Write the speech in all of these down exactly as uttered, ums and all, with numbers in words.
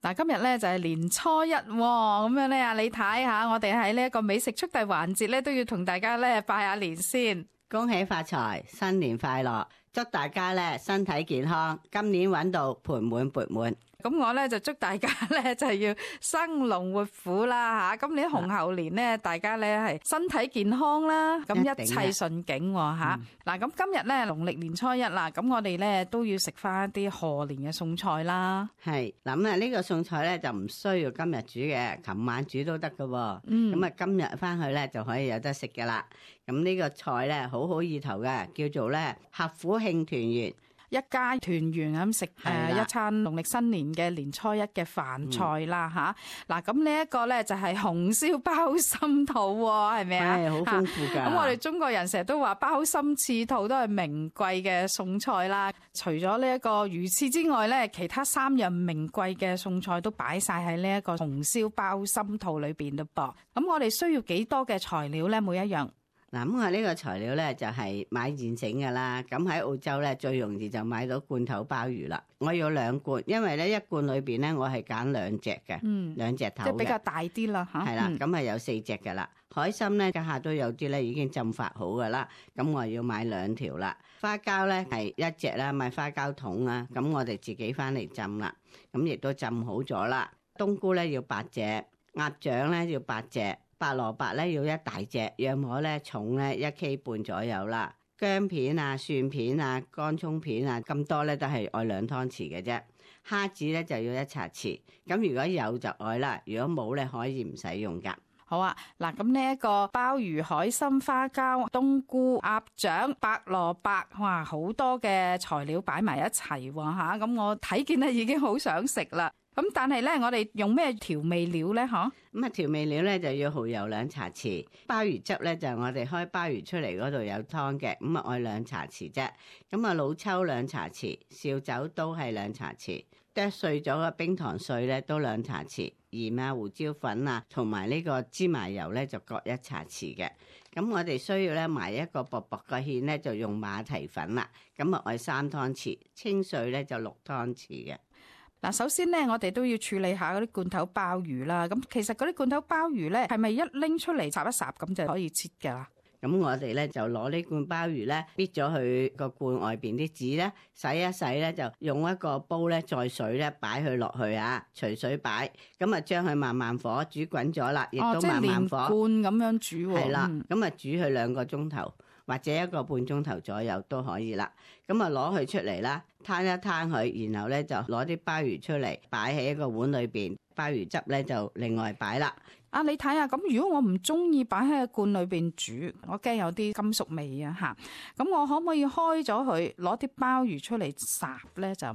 嗱，今日咧就係年初一，咁樣咧啊，你睇下，我哋喺呢一個美食速遞環節咧，都要同大家咧拜下年先，恭喜發財，新年快樂，祝大家咧身體健康，今年搵到盆滿缽滿。咁我咧就祝大家咧就係要生龍活虎啦吓，今年紅猴年咧，大家咧係身體健康啦，咁一切順境吓。嗱，咁今日咧農曆年初一啦，咁我哋咧都要食翻啲賀年嘅餸菜啦。係，咁啊呢個餸菜咧就唔需要今日煮嘅，琴晚煮都得噶。嗯，咁啊今日翻去咧就可以有得食噶啦。咁呢個菜咧好好意頭嘅，叫做咧合府慶團圓。一家團圓咁食誒一餐農曆新年嘅年初一嘅飯菜啦吓，嗱咁呢一個咧就係紅燒鮑參肚喎，係咪啊？係好豐富㗎。咁我哋中國人成日都話鮑參翅肚都係名貴嘅餸菜啦。除咗呢一個魚翅之外咧，其他三樣名貴嘅餸菜都擺晒喺呢一個紅燒鮑參肚裏邊嘞噃。咁我哋需要幾多嘅材料咧？每一樣。嗱，咁我呢個材料咧就係買現成㗎啦。咁喺澳洲咧最容易就買到罐頭鮑魚啦。我要兩罐，因為咧一罐裏邊咧我係揀兩隻嘅，嗯，兩隻頭嘅，即係比較大啲啦嚇。係啦，咁係有四隻㗎啦。海參咧家下都有啲咧已經浸發好㗎啦。咁我要買兩條啦。花膠咧係一隻啦，買花膠桶啦。咁我哋自己翻嚟浸啦。咁亦都浸好咗啦。冬菇咧要八隻，鴨掌咧要八隻。白蘿蔔咧要一大隻，約莫咧重咧一 K 半左右啦。薑片啊、蒜片啊、乾葱片啊，咁多咧都係愛兩湯匙嘅啫。蝦子咧就要一茶匙，咁如果有就愛啦，如果冇咧可以唔使用噶。好啊，嗱咁呢一個鮑魚、海參、花膠、冬菇、鴨掌、白蘿蔔，哇，好多嘅材料擺埋一齊喎吓，咁我睇見咧已經好想食啦。咁但係咧，我哋用咩調味料咧？嗬，咁啊調味料咧就要蠔油兩茶匙，鮑魚汁咧就係我哋開鮑魚出嚟嗰度有湯嘅，咁啊愛兩茶匙啫。咁啊老抽兩茶匙，紹酒都係兩茶匙，剁碎咗嘅冰糖碎咧都兩茶匙，鹽啊、胡椒粉啊同埋呢個芝麻油咧就各一茶匙嘅。咁我哋需要咧埋一個薄薄嘅芡咧就用馬蹄粉啦，咁啊愛三湯匙，清水咧就六湯匙嘅。嗱，首先咧，我哋都要處理下嗰啲罐頭鮑魚啦。咁其實嗰啲罐頭鮑魚咧，係咪一拎出嚟烚一烚咁就可以切㗎啦？咁我哋咧就攞呢罐鮑魚咧，搣咗佢個罐外邊啲籽咧，洗一洗咧，就用一個煲咧，再水咧擺佢落去啊，隨水擺。咁啊，將佢慢慢火煮滾咗啦，亦都慢慢火。哦，即係連罐咁樣煮喎。係啦，咁啊煮佢兩個鐘頭。或者一個半鐘頭左右都可以啦，咁啊攞佢出嚟啦，攤一攤佢，然後咧就攞啲鮑魚出嚟，擺喺一個碗裏邊，鮑魚汁咧就另外擺啦。啊，你睇下，咁如果我唔中意擺喺個罐裏邊煮，我驚有啲金屬味啊吓，咁我可唔可以開咗佢，攞啲鮑魚出嚟烚咧？就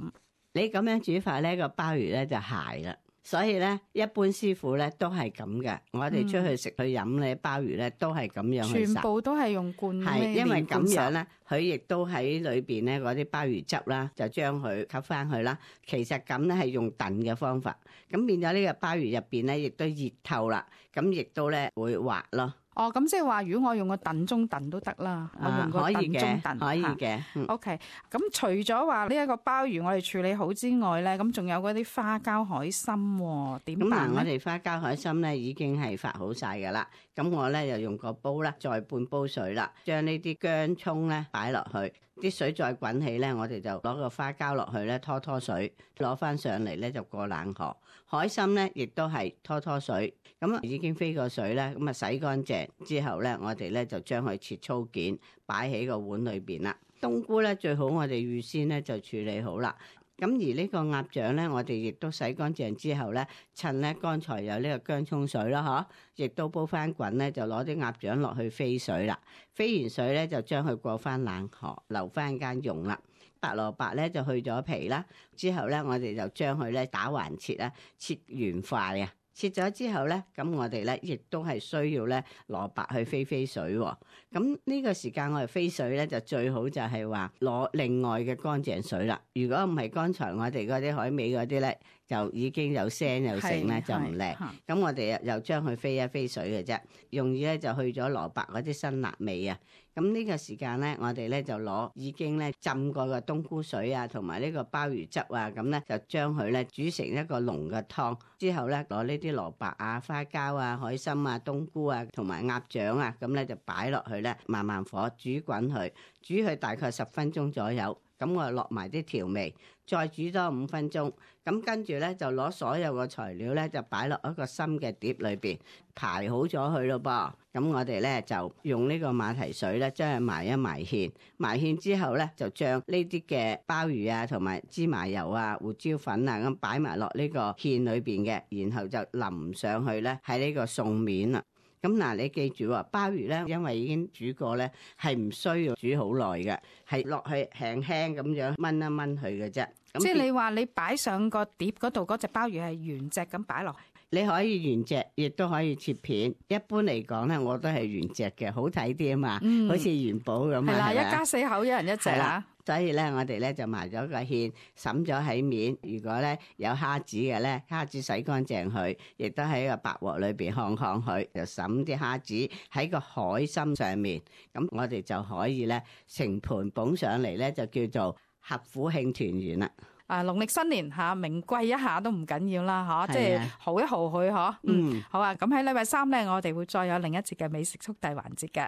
你咁樣煮法咧，個鮑魚咧就鞋啦。所以咧，一般師傅咧都係咁嘅。我哋出去食去飲咧，鮑魚咧都係咁樣去烚。全部都係用罐，係因為咁樣咧，佢亦都喺裏邊咧嗰啲鮑魚汁啦，就將佢吸翻去啦。其實咁咧係用燉嘅方法，咁變咗呢個鮑魚入邊咧亦都熱透啦，咁亦都咧會滑咯。哦，咁即係話，如果我用個燉盅燉都得啦，我用個燉盅燉可以嘅。O K，咁除咗話呢一個鮑魚我哋處理好之外咧，咁仲有嗰啲花膠海參，點辦咧？咁嗱，我哋花膠海參咧已經係發好晒噶啦，咁我咧就用個煲啦，再半煲水啦，將呢啲薑蔥咧擺落去，啲水再滾起咧，我哋就攞個花膠落去咧拖拖水，攞翻上嚟咧就過冷河。海參咧亦都係拖拖水，咁已經飛過水咧，咁啊洗乾淨。之後咧，我哋咧就將佢切粗件，擺喺個碗裏邊啦。冬菇咧最好我哋預先咧就處理好啦。咁而呢個鴨掌咧，我哋亦都洗乾淨之後咧，趁咧剛才有呢個薑蔥水啦，嗬，亦都煲翻滾咧，就攞啲鴨掌落去飛水啦。飛完水咧，就將佢過翻冷河，留翻間用啦。白蘿蔔咧就去咗皮啦，之後咧我哋就將佢咧打橫切啦，切圓塊啊。切咗之後咧，咁我哋咧亦都係需要咧蘿蔔去飛飛水喎。咁呢個時間我哋飛水咧就最好就係話攞另外嘅乾淨水啦。如果唔係剛才我哋嗰啲海味嗰啲咧，就已經有聲有聲咧，就唔靚。咁我哋又將佢飛一飛水嘅啫，用意咧就去咗蘿蔔嗰啲辛辣味啊。咁呢個時間咧，我哋咧就攞已經咧浸過嘅冬菇水啊，同埋呢個鮑魚汁啊，咁咧就將佢咧煮成一個濃嘅湯。之後咧攞呢啲蘿蔔啊、花膠啊、海參啊、冬菇啊，同埋鴨掌啊，咁咧就擺落去咧，慢慢火煮滾佢，煮佢大概十分鐘左右。咁我落埋啲調味，再煮多五分鐘。咁跟住咧就攞所有嘅材料咧就擺落一個深嘅碟裏邊，排好咗佢咯噃。咁我哋咧就用呢個馬蹄水咧將佢埋一埋芡，埋芡之後咧就將呢啲嘅鮑魚啊同埋芝麻油啊、胡椒粉啊咁擺埋落呢個芡裏邊嘅，然後就淋上去咧喺呢個餸面啦。咁嗱，你記住喎，鮑魚咧，因為已經煮過咧，係唔需要煮好耐嘅，係落去輕輕咁樣炆一炆佢嘅啫。即係你話你擺上個碟嗰度嗰隻鮑魚係原隻咁擺落，你可以原隻，亦都可以切片。一般嚟講咧，我都係原隻嘅，好睇啲啊嘛，嗯、好似元寶咁啊。係啦，一家四口一人一隻啊。所以咧，我哋咧就埋咗個芡，滲咗喺面。如果咧有蝦子嘅咧，蝦子洗乾淨佢，亦都喺個白鑊裏邊烘烘佢，就滲啲蝦子喺個海參上面。咁我哋就可以咧成盤捧上嚟咧，就叫做合府慶團圓啦。啊，農曆新年嚇名貴一下都唔緊要啦，嚇，即係豪一豪佢嗬。嗯，好啊。咁喺禮拜三咧，我哋會再有另一節嘅美食速遞環節嘅。